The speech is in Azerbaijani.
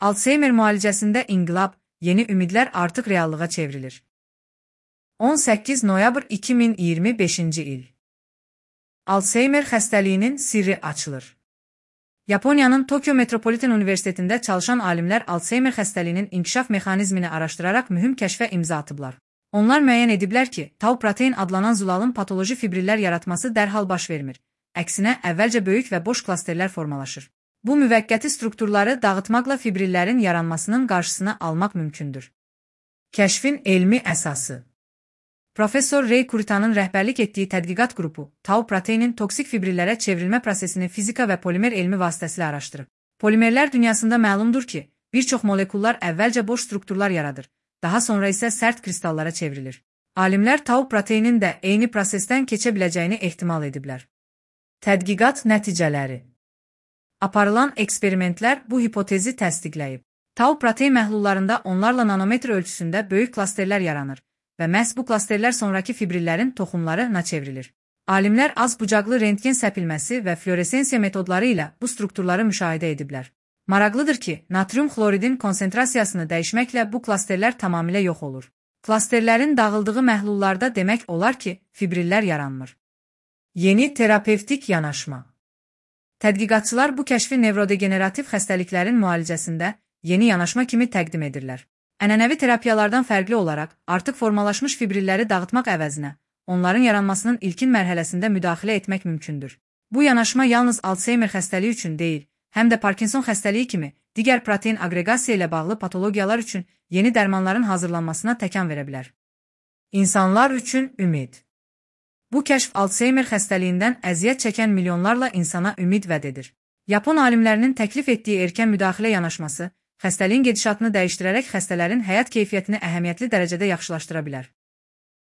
Alzheimer müalicəsində inqilab, yeni ümidlər artıq reallığa çevrilir. 18 noyabr 2025-ci il. Alzheimer xəstəliyinin sirri açılır. Yaponiyanın Tokyo Metropolitan Universitetində çalışan alimlər Alzheimer xəstəliyinin inkişaf mexanizmini araşdıraraq mühüm kəşfə imza atıblar. Onlar müəyyən ediblər ki, tau protein adlanan zulalın patoloji fibrillər yaratması dərhal baş vermir. Əksinə, əvvəlcə böyük və boş klasterlər formalaşır. Bu müvəqqəti strukturları dağıtmaqla fibrillərin yaranmasının qarşısını almaq mümkündür. Kəşfin elmi əsası. Professor Ray Kuritanın rəhbərlik etdiyi tədqiqat qrupu, tau proteinin toksik fibrillərə çevrilmə prosesini fizika və polimer elmi vasitəsilə araşdırıb. Polimerlər dünyasında məlumdur ki, bir çox molekullar əvvəlcə boş strukturlar yaradır, daha sonra isə sərt kristallara çevrilir. Alimlər tau proteinin də eyni prosesdən keçə biləcəyini ehtimal ediblər. Tədqiqat nəticələri. Aparılan eksperimentlər bu hipotezi təsdiqləyib. Tau protein məhlullarında onlarla nanometr ölçüsündə böyük klasterlər yaranır və məhz bu klasterlər sonraki fibrillərin toxumlarına çevrilir. Alimlər az bucaqlı rentgen səpilməsi və fluoresensiya metodları ilə bu strukturları müşahidə ediblər. Maraqlıdır ki, natrium xloridin konsentrasiyasını dəyişməklə bu klasterlər tamamilə yox olur. Klasterlərin dağıldığı məhlullarda demək olar ki, fibrillər yaranmır. Yeni terapevtik yanaşma. Tədqiqatçılar bu kəşfi nevrodegenerativ xəstəliklərin müalicəsində yeni yanaşma kimi təqdim edirlər. Ənənəvi terapiyalardan fərqli olaraq, artıq formalaşmış fibrilləri dağıtmaq əvəzinə, onların yaranmasının ilkin mərhələsində müdaxilə etmək mümkündür. Bu yanaşma yalnız Alzheimer xəstəliyi üçün deyil, həm də Parkinson xəstəliyi kimi digər protein aqreqasiya ilə bağlı patologiyalar üçün yeni dərmanların hazırlanmasına təkan verə bilər. İnsanlar üçün ümid. Bu kəşf Alzheimer xəstəliyindən əziyyət çəkən milyonlarla insana ümid vəd edir. Yapon alimlərinin təklif etdiyi erkən müdaxilə yanaşması, xəstəliyin gedişatını dəyişdirərək xəstələrin həyat keyfiyyətini əhəmiyyətli dərəcədə yaxşılaşdıra bilər.